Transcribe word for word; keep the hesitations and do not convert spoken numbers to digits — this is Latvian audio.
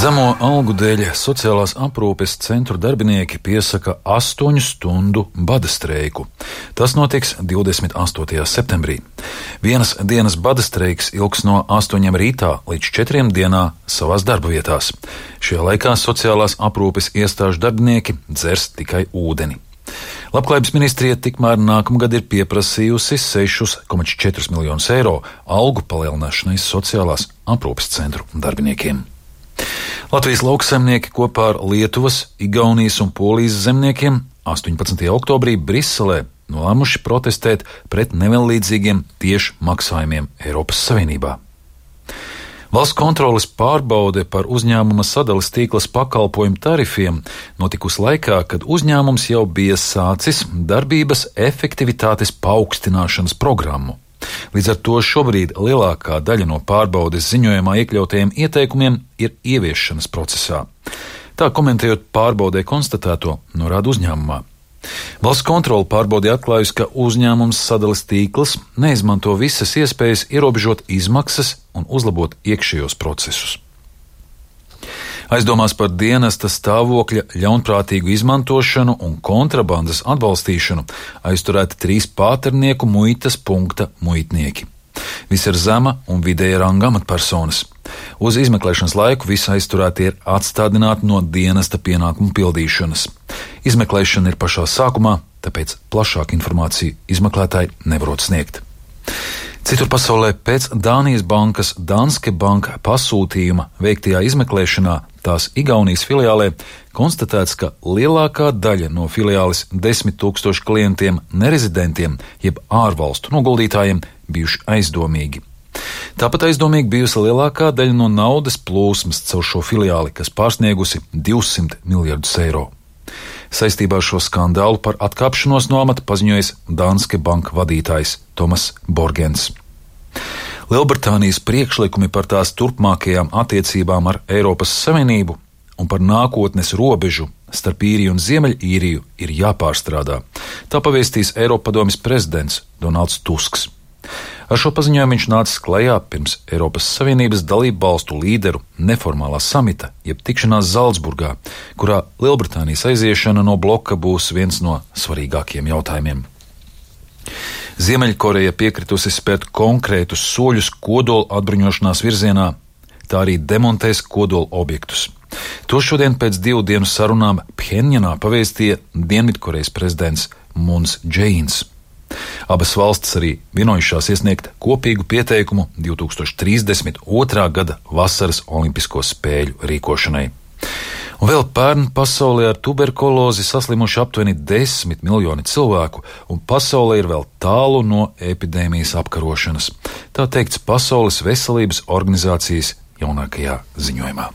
Zemo algu dēļ sociālās aprūpes centru darbinieki piesaka astoņu stundu bada streiku. Tas notiks divdesmit astotajā septembrī. Vienas dienas bada streiks ilgs no astoņiem rītā līdz četriem dienā savās darba vietās. Šajā laikā sociālās aprūpes iestāžu darbinieki dzers tikai ūdeni. Labklājības ministrija tikmēr nākamgad ir pieprasījusi sešus komats četrus miljonus eiro algu palielināšanai sociālās aprūpes centru darbiniekiem. Latvijas lauksaimnieki kopā ar Lietuvas, Igaunijas un Polijas zemniekiem astoņpadsmitajā oktobrī Briselē nolēmuši protestēt pret nevienlīdzīgiem tiešu maksājumiem Eiropas Savienībā. Valsts kontroles pārbaude par uzņēmuma sadales tīklas pakalpojumu tarifiem notikusi laikā, kad uzņēmums jau bija sācis darbības efektivitātes paaugstināšanas programmu. Līdz ar to šobrīd lielākā daļa no pārbaudes ziņojumā iekļautajiem ieteikumiem ir ieviešanas procesā. Tā komentējot pārbaudē konstatēto, norāda uzņēmumā. Valsts kontrole pārbaudē atklājusi, ka uzņēmums sadales tīkls neizmanto visas iespējas ierobežot izmaksas un uzlabot iekšējos procesus. Aizdomās par dienesta stāvokļa ļaunprātīgu izmantošanu un kontrabandas atbalstīšanu aizturēti trīs pāternieku muitas punkta muitnieki. Visi ir zema un vidēja ranga amatpersonas. Uz izmeklēšanas laiku visi aizturēti ir atstādināti no dienesta pienākumu pildīšanas. Izmeklēšana ir pašā sākumā, tāpēc plašāku informāciju izmeklētāji nevarot sniegt. Citur pasaulē pēc Dānijas bankas Danske Bank pasūtījuma veiktajā izmeklēšanā tās Igaunijas filiālē konstatēts, ka lielākā daļa no filiāles desmit tūkstošu klientiem nerezidentiem jeb ārvalstu noguldītājiem bijuši aizdomīgi. Tāpat aizdomīgi bijusi lielākā daļa no naudas plūsmas caur šo filiāli, kas pārsniegusi divsimt miljardus eiro. Saistībā ar šo skandālu par atkāpšanos no amata paziņojis Danske Bank vadītājs Tomas Borgens. Lielbritānijas priekšlikumi par tās turpmākajām attiecībām ar Eiropas Savienību un par nākotnes robežu starp Īriju un Ziemeļīriju ir jāpārstrādā. Tā pavēstīs Eiropadomes prezidents Donalds Tusks. Ar šo paziņojumu viņš nācis klajā pirms Eiropas Savienības dalību valstu līderu neformālā samita, jeb tikšanās Zalcburgā, kurā Lielbritānijas aiziešana no bloka būs viens no svarīgākiem jautājumiem. Ziemeļkoreja piekritusi spērt konkrētus soļus kodola atbruņošanās virzienā, tā arī demontēs kodola objektus. To šodien pēc divu dienu sarunām Phenjanā pavēstīja Dienvidkorejas prezidents Mūns Džeīns. Abas valstis arī vienojušās iesniegt kopīgu pieteikumu divi tūkstoši trīsdesmit otrā gada vasaras olimpisko spēļu rīkošanai. Un vēl pērn pasaulē ar tuberkulozi saslimuši aptuveni desmit miljoni cilvēku, un pasaulē ir vēl tālu no epidēmijas apkarošanas. Tā teikts Pasaules veselības organizācijas jaunākajā ziņojumā.